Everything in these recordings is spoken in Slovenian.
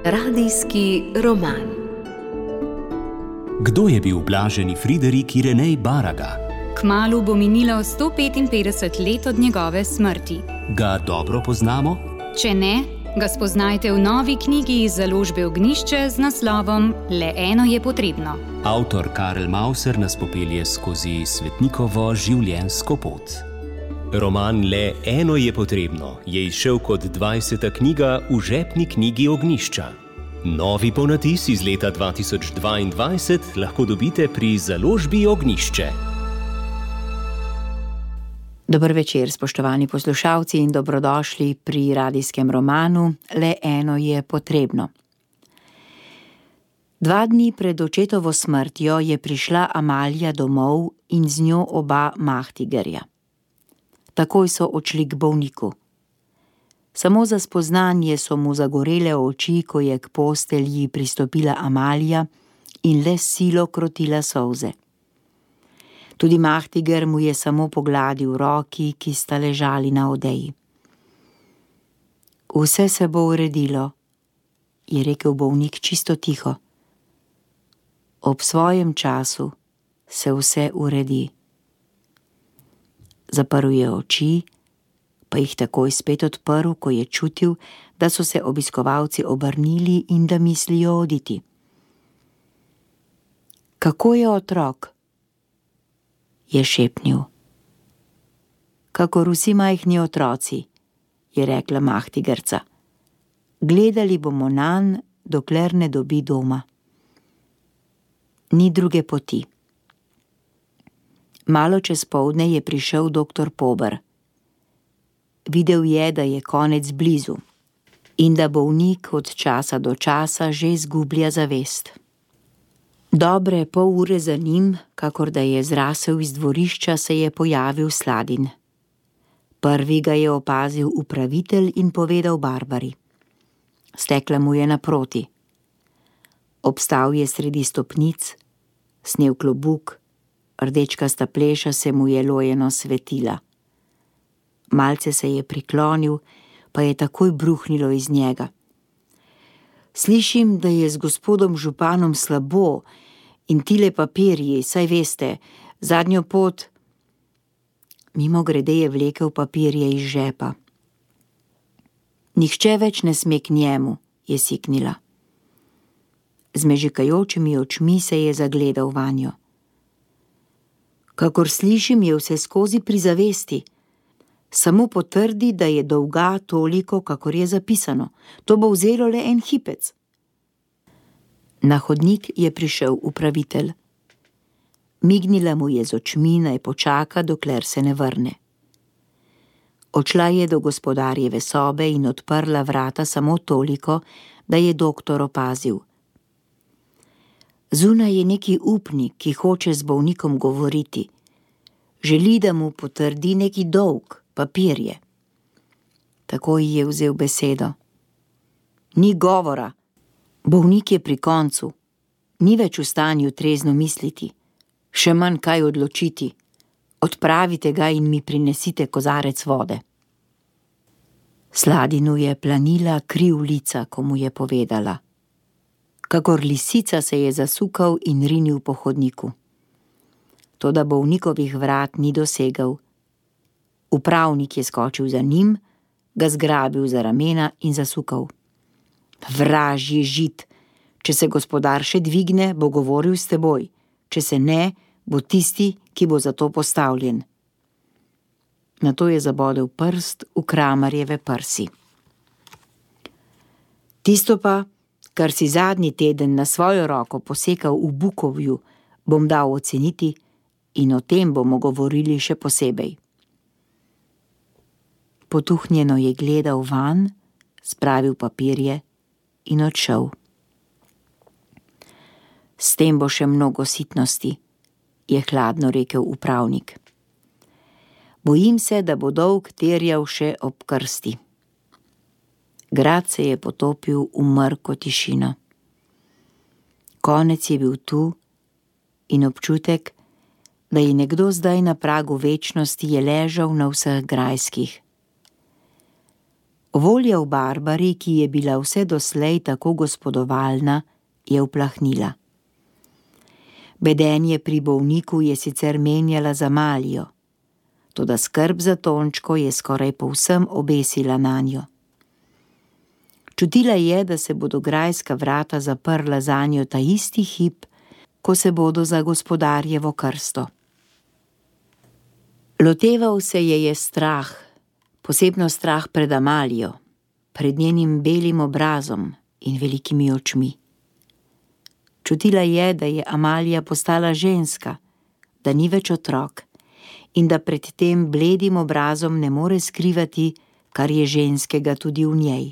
Radijski roman. Kdo je bil blaženi Friderik Irenej Baraga? Kmalu bo minilo 155 let od njegove smrti. Ga dobro poznamo? Če ne, ga spoznajte v novi knjigi iz založbe Ognjišče z naslovom Le eno je potrebno. Avtor Karel Mauser nas popelje skozi svetnikovo življenjsko pot. Roman Le eno je potrebno je izšel kot 20. knjiga v žepni knjigi Ognjišča. Novi ponatis iz leta 2022 lahko dobite pri založbi Ognjišče. Dober večer, spoštovani poslušalci, in dobrodošli pri radijskem romanu Le eno je potrebno. 2 dni pred očetovo smrtjo je prišla Amalija domov in z njo oba Mahtigerja. Takoj so odšli k bolniku. Samo za spoznanje so mu zagorele oči, ko je k postelji pristopila Amalija in le s silo krotila solze. Tudi Mahtiger mu je samo pogladil roki, ki sta ležali na odeji. Vse se bo uredilo, je rekel bolnik čisto tiho. Ob svojem času se vse uredi. Zaprl je oči, pa jih takoj spet odprl, ko je čutil, da so se obiskovalci obrnili in da mislijo oditi. Kako je otrok? Je šepnil. Kakor vsi majhni otroci, je rekla Mahtigerca. Gledali bomo nanj, dokler ne dobi doma. Ni druge poti. Malo čez poldne je prišel doktor Pober. Videl je, da je konec blizu in da bolnik od časa do časa že izgublja zavest. Dobre pol ure za njim, kakor da je zrasel iz dvorišča, se je pojavil Sladin. Prvi ga je opazil upravitelj in povedal Barbari. Stekla mu je naproti. Obstal je sredi stopnic, snel klobuk, rdečkasta pleša se mu je lojeno svetila. Malce se je priklonil, pa je takoj bruhnilo iz njega. Slišim, da je z gospodom županom slabo in tile papirji, saj veste, zadnjo pot. Mimogrede je vlekel papirje iz žepa. Nihče več ne sme k njemu, je siknila. Z mežikajočimi očmi se je zagledal vanjo. Kakor slišim, je vse skozi pri zavesti. Samo potrdi, da je dolga toliko, kakor je zapisano. To bo vzelo le en hipec. Na hodnik je prišel upravitelj. Mignila mu je z očmi, naj počaka, dokler se ne vrne. Odšla je do gospodarjeve sobe in odprla vrata samo toliko, da je doktor opazil. Zunaj je neki upnik, ki hoče z bolnikom govoriti. Želi, da mu potrdi neki dolg, papirje. Takoj je vzel besedo. Ni govora. Bolnik je pri koncu. Ni več v stanju trezno misliti. Še manj kaj odločiti. Odpravite ga in mi prinesite kozarec vode. Sladinu je planila kri v lica, ko mu je povedala. Kakor lisica se je zasukal in rinil po hodniku. Toda bolnikovih vrat ni dosegel. Upravnik je skočil za njim, ga zgrabil za ramena in zasukal. Vražji žid, če se gospodar še dvigne, bo govoril s teboj, če se ne, bo tisti, ki bo za to postavljen. Nato je zabodel prst v Kramarjeve prsi. Tisto pa, kar si zadnji teden na svojo roko posekal v Bukovju, bom dal oceniti in o tem bomo govorili še posebej. Potuhnjeno je gledal van, spravil papirje in odšel. S tem bo še mnogo sitnosti, je hladno rekel upravnik. Bojim se, da bo dolg terjal še ob krsti. Grad se je potopil v mrko tišino. Konec je bil tu in občutek, da je nekdo zdaj na pragu večnosti, je ležal na vseh grajskih. Volja v Barbari, ki je bila vse doslej tako gospodovalna, je uplahnila. Bedenje pri bolniku je sicer menjala za Amalijo, toda skrb za Tončko je skoraj povsem obesila nanjo. Čutila je, da se bodo grajska vrata zaprla zanjo ta isti hip, ko se bodo za gospodarjevo krsto. Loteval se je strah, posebno strah pred Amalijo, pred njenim belim obrazom in velikimi očmi. Čutila je, da je Amalija postala ženska, da ni več otrok in da pred tem bledim obrazom ne more skrivati, kar je ženskega tudi v njej.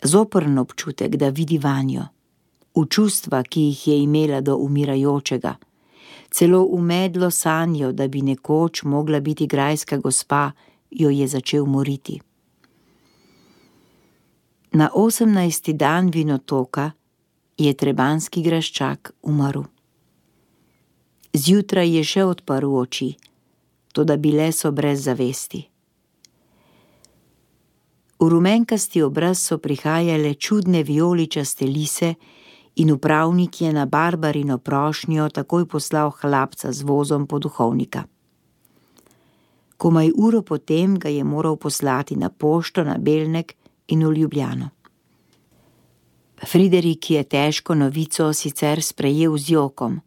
Zoprn občutek, da vidi vanjo, v čustva, ki jih je imela do umirajočega, celo v medlo sanjo, da bi nekoč mogla biti grajska gospa, jo je začel moriti. Na 18. dan vinotoka je trebanski graščak umrl. Zjutraj je še odprl oči, toda bile so brez zavesti. V rumenkasti obraz so prihajale čudne vijoličaste lise in upravnik je na Barbarino prošnjo takoj poslal hlapca z vozom po duhovnika. Komaj uro potem ga je moral poslati na pošto na Belnek in v Ljubljano. Friderik je težko novico sicer sprejel z jokom,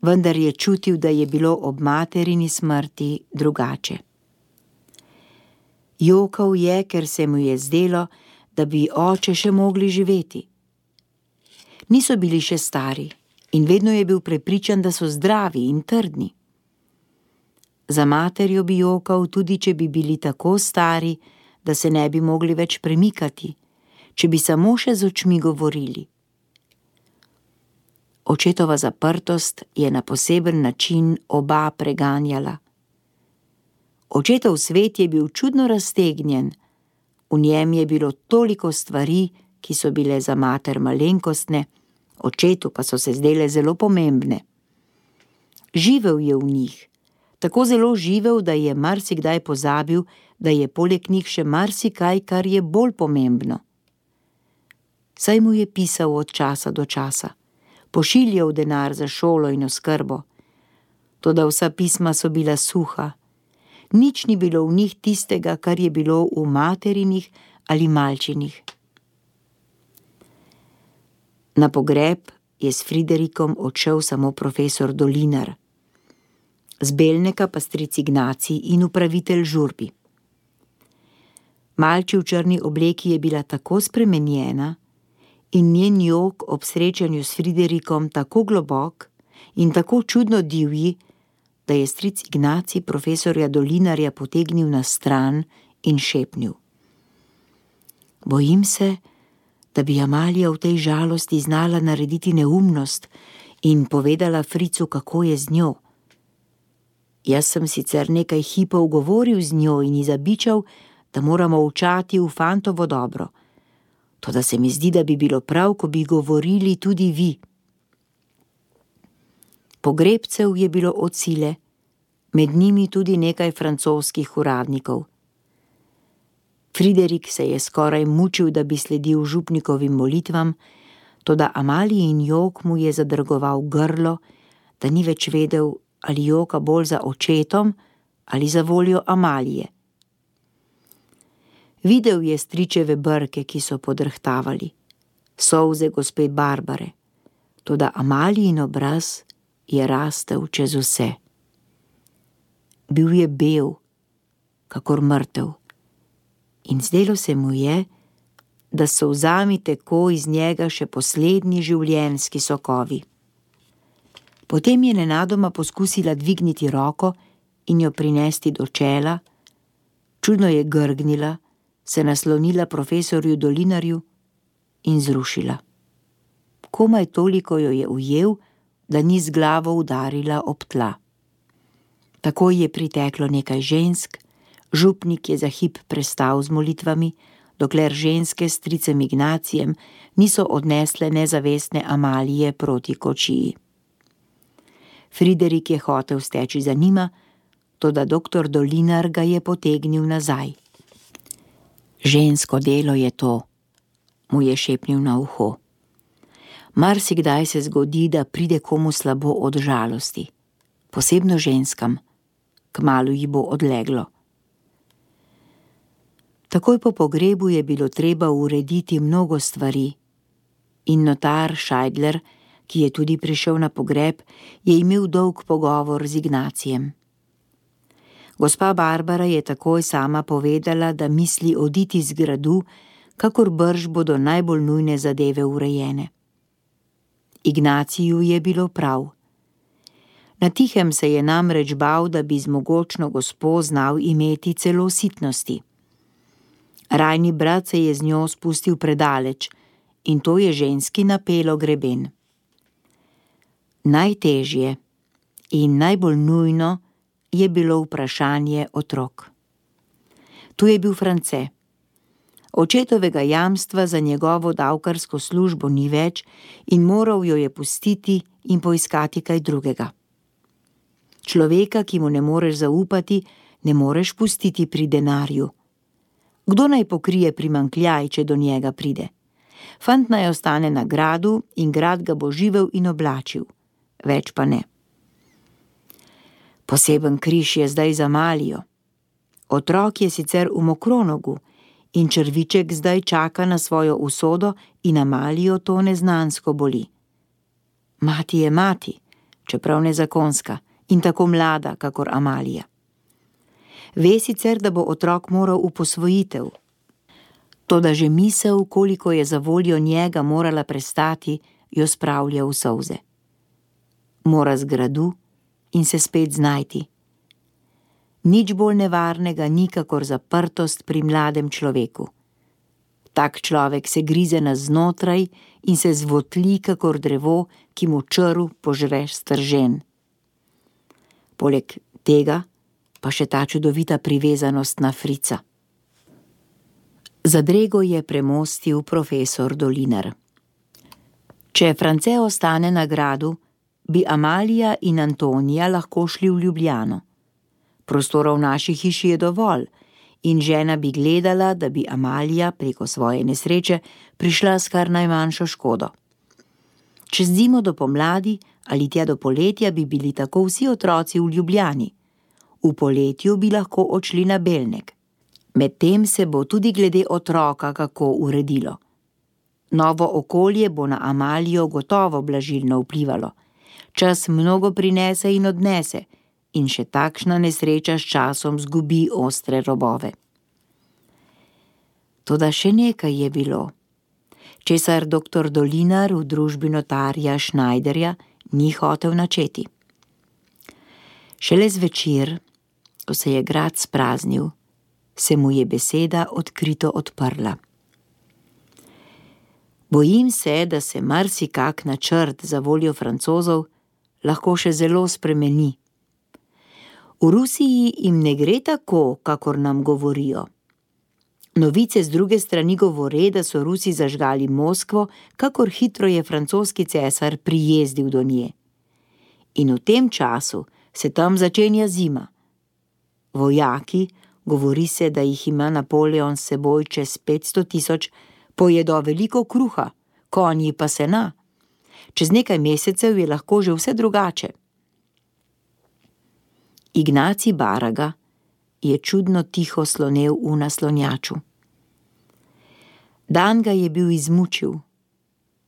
vendar je čutil, da je bilo ob materini smrti drugače. Jokal je, ker se mu je zdelo, da bi oče še mogli živeti. Niso bili še stari in vedno je bil prepričan, da so zdravi in trdni. Za materjo bi jokal, tudi če bi bili tako stari, da se ne bi mogli več premikati, če bi samo še z očmi govorili. Očetova zaprtost je na poseben način oba preganjala. Očetov svet je bil čudno raztegnjen, v njem je bilo toliko stvari, ki so bile za mater malenkostne, očetu pa so se zdele zelo pomembne. Živel je v njih, tako zelo živel, da je marsikdaj pozabil, da je poleg njih še marsikaj, kar je bolj pomembno. Saj mu je pisal od časa do časa, pošiljal denar za šolo in oskrbo, toda vsa pisma so bila suha, nič ni bilo v njih tistega, kar je bilo v materinih ali malčinih. Na pogreb je s Friderikom odšel samo profesor Dolinar, z Belneka pa stric Ignacij in upravitelj žurbi. Malči v črni obleki je bila tako spremenjena in njen jok ob srečanju s Friderikom tako globok in tako čudno divji, da je stric Ignacij profesorja Dolinarja potegnil na stran in šepnil: Bojim se, da bi Amalija v tej žalosti znala narediti neumnost in povedala Fricu, kako je z njo. Jaz sem sicer nekaj hipov govoril z njo in ji zabičal, da moramo učati v fantovo dobro, toda se mi zdi, da bi bilo prav, ko bi govorili tudi vi. Pogrebcev je bilo od sile, med njimi tudi nekaj francoskih uradnikov. Friderik se je skoraj mučil, da bi sledil župnikovim molitvam, toda Amalijin jok mu je zadrgoval grlo, da ni več vedel, ali joka bolj za očetom ali za voljo Amalije. Videl je stričeve brke, ki so podrhtavali, solze gospe Barbare, toda Amalijin obraz je rastel čez vse. Bil je bel, kakor mrtev, in zdelo se mu je, da so solzami tako iz njega še poslednji življenjski sokovi. Potem je nenadoma poskusila dvigniti roko in jo prinesti do čela, čudno je grgnila, se naslonila profesorju Dolinarju in zrušila. Komaj toliko jo je ujel, da ni z glavo udarila ob tla. Takoj je priteklo nekaj žensk, župnik je za hip prestal z molitvami, dokler ženske s stricem Ignacijem niso odnesle nezavestne Amalije proti kočiji. Friderik je hotel steči za njima, toda doktor Dolinar ga je potegnil nazaj. Žensko delo je to, mu je šepnil na uho. Marsikdaj se zgodi, da pride komu slabo od žalosti, posebno ženskam, kmalu ji bo odleglo. Takoj po pogrebu je bilo treba urediti mnogo stvari in notar Scheidler, ki je tudi prišel na pogreb, je imel dolg pogovor z Ignacijem. Gospa Barbara je takoj sama povedala, da misli oditi z gradu, kakor brž bodo najbolj nujne zadeve urejene. Ignaciju je bilo prav. Na tihem se je namreč bal, da bi z mogočno gospo znal imeti celo sitnosti. Rajni brat se je z njo spustil predaleč in to je ženski napelo greben. Najtežje in najbolj nujno je bilo vprašanje otrok. Tu je bil France. Očetovega jamstva za njegovo davkarsko službo ni več in moral jo je pustiti in poiskati kaj drugega. Človeka, ki mu ne moreš zaupati, ne moreš pustiti pri denarju. Kdo naj pokrije primanjkljaj, če do njega pride? Fant naj ostane na gradu in grad ga bo živel in oblačil. Več pa ne. Poseben križ je zdaj za Amalijo. Otrok je sicer v Mokronogu in črviček zdaj čaka na svojo usodo in Amalijo to neznansko boli. Mati je mati, čeprav nezakonska in tako mlada, kakor Amalija. Ve sicer, da bo otrok moral v posvojitev. Toda že misel, koliko je za voljo njega morala prestati, jo spravlja v solze. Mora z gradu in se spet znajti. Nič bolj nevarnega ni, kakor zaprtost pri mladem človeku. Tak človek se grize navznotraj in se zvotli, kakor drevo, ki mu črv požre stržen. Poleg tega pa še ta čudovita privezanost na Frica. Zadrego je premostil profesor Dolinar. Če France ostane na gradu, bi Amalija in Antonija lahko šli v Ljubljano. Prostora v naši hiši je dovolj in žena bi gledala, da bi Amalija preko svoje nesreče prišla s kar najmanjšo škodo. Čez zimo do pomladi ali tja do poletja bi bili tako vsi otroci v Ljubljani. V poletju bi lahko odšli na Belnek. Medtem se bo tudi glede otroka kako uredilo. Novo okolje bo na Amalijo gotovo blažilno vplivalo. Čas mnogo prinese in odnese in še takšna nesreča s časom zgubi ostre robove. Toda še nekaj je bilo, česar dr. Dolinar v družbi notarja Schneiderja ni hotel načeti. Šele zvečer, ko se je grad spraznil, se mu je beseda odkrito odprla. Bojim se, da se marsikak načrt za voljo Francozov lahko še zelo spremeni. V Rusiji jim ne gre tako, kakor nam govorijo. Novice z druge strani govore, da so Rusi zažgali Moskvo, kakor hitro je francoski cesar prijezdil do nje. In v tem času se tam začenja zima. Vojaki, govori se, da jih ima Napoleon s seboj čez 500 000, pojedo veliko kruha, konji pa sena. Čez nekaj mesecev je lahko že vse drugače. Ignacij Baraga je čudno tiho slonel v naslonjaču. Dan ga je bil izmučil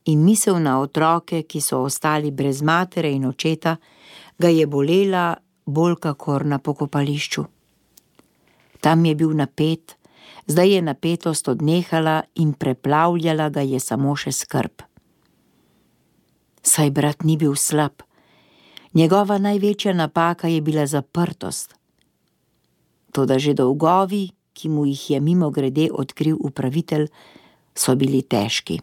in misel na otroke, ki so ostali brez matere in očeta, ga je bolela bolj kakor na pokopališču. Tam je bil napet, zdaj je napetost odnehala in preplavljala ga je samo še skrb. Saj brat ni bil slab. Njegova največja napaka je bila zaprtost. Toda že dolgovi, ki mu jih je mimogrede odkril upravitelj, so bili težki.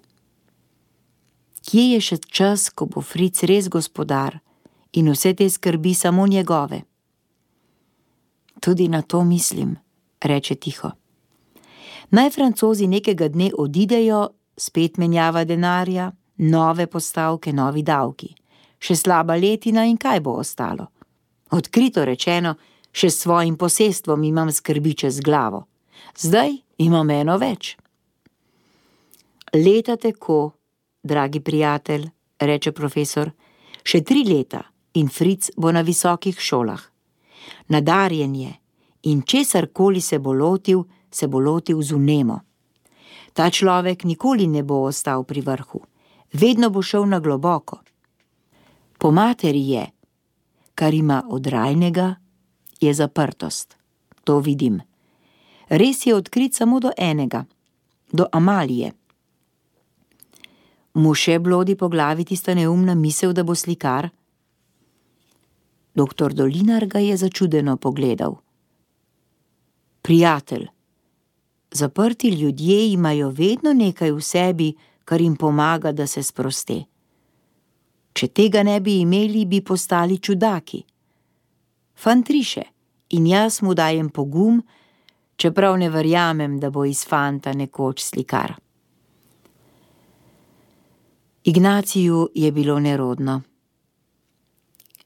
Kje je še čas, ko bo Fric res gospodar in vse te skrbi samo njegove? Tudi na to mislim, reče tiho. Naj Francozi nekega dne odidejo, spet menjava denarja, nove postavke, novi davki. Še slaba letina in kaj bo ostalo? Odkrito rečeno, še s svojim posestvom imam skrbi čez glavo. Zdaj Imam eno več. Leta tako, dragi prijatelj, reče profesor, še 3 leta in Fritz bo na visokih šolah. Nadarjen je in česarkoli se bo lotil z vnemo. Ta človek nikoli ne bo ostal pri vrhu, vedno bo šel na globoko. Po materi je, kar ima od rajnega, je zaprtost. To vidim. Res je odkrit samo do enega, do Amalije. Mu še blodi po glavi tista neumna misel, da bo slikar? Doktor Dolinar ga je začudeno pogledal. Prijatelj, zaprti ljudje imajo vedno nekaj v sebi, kar jim pomaga, da se sproste. Če tega ne bi imeli, bi postali čudaki. Fantriše, in jaz mu dajem pogum, čeprav ne verjamem, da bo iz fanta nekoč slikar. Ignaciju je bilo nerodno.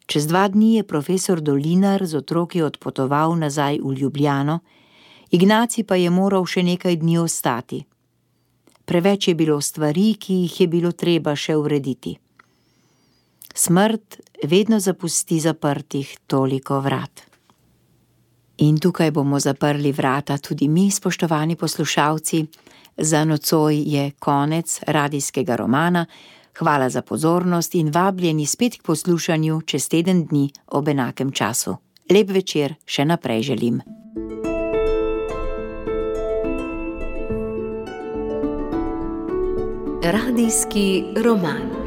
Čez 2 dni je profesor Dolinar z otroki odpotoval nazaj v Ljubljano, Ignacij pa je moral še nekaj dni ostati. Preveč je bilo stvari, ki jih je bilo treba še urediti. Smrt vedno zapusti zaprtih toliko vrat. In tukaj bomo zaprli vrata tudi mi, spoštovani poslušalci. Za nocoj je konec radijskega romana. Hvala za pozornost in vabljeni spet k poslušanju čez teden dni ob enakem času. Lep večer še naprej želim. Radijski roman.